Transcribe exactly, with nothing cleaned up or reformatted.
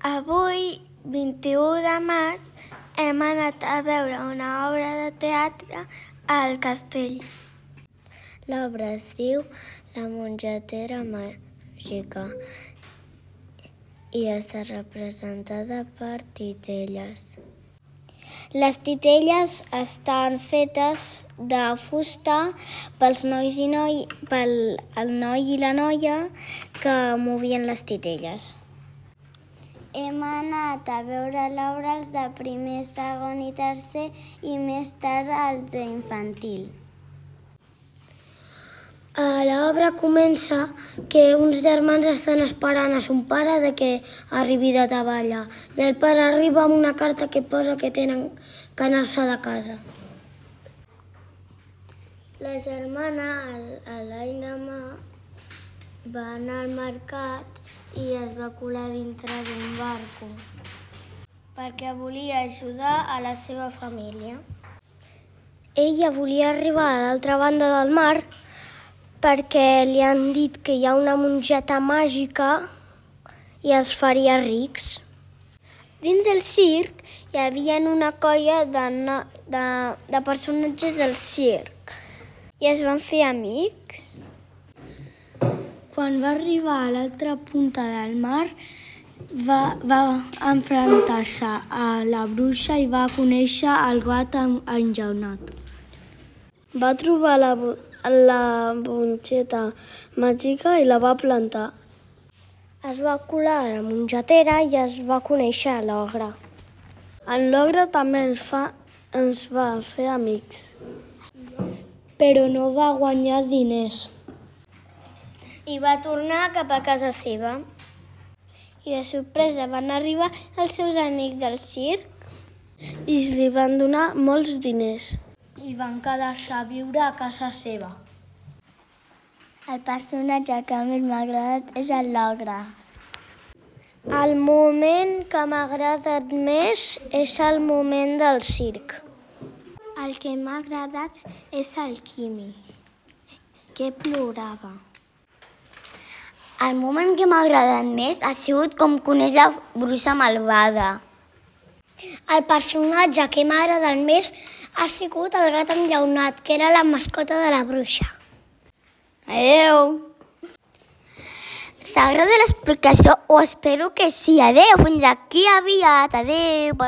Avui, vint-i-u de març, hem anat a veure una obra de teatre al castell. L'obra es diu La mongetera màgica i està representada per titelles. Les titelles estan fetes de fusta pels nois i noi, pel el noi i la noia que movien les titelles. Hem anat a veure l'obra els de primer, segon i tercer i més tard els d'infantil. L'obra comença que uns germans estan esperant a son pare de que arribi de treballar i el pare arriba amb una carta que posa que tenen que anar-se de casa. La germana, l'endemà, va anar al mercat i es va colar dintre d'un barco perquè volia ajudar a la seva família. Ella volia arribar a l'altra banda del mar perquè li han dit que hi ha una mongeta màgica i els faria rics. Dins del circ hi havia una colla de, no, de, de personatges del circ i es van fer amics. Quan va arribar a l'altra punta del mar, va, va enfrontar-se a la bruixa i va conèixer el gat enjaunat. Va trobar la, la mongeta màgica i la va plantar. Es va colar a la mongetera i es va conèixer l'ogre. En l'ogre també ens, fa, ens va fer amics, però no va guanyar diners. I va tornar cap a casa seva. I de sorpresa van arribar els seus amics del circ i li van donar molts diners. I van quedar-se a viure a casa seva. El personatge que més m'ha agradat és l'ogre. El moment que m'ha agradat més és el moment del circ. El que m'ha agradat és el Quimi, que plorava. El moment que m'ha agradat més ha sigut com coneix la bruixa malvada. El personatge que m'ha agradat més ha sigut el gat enllaunat, que era la mascota de la bruixa. Adéu! S'agrada l'explicació? Ho espero que sí. Adéu, fins aquí aviat. Adéu.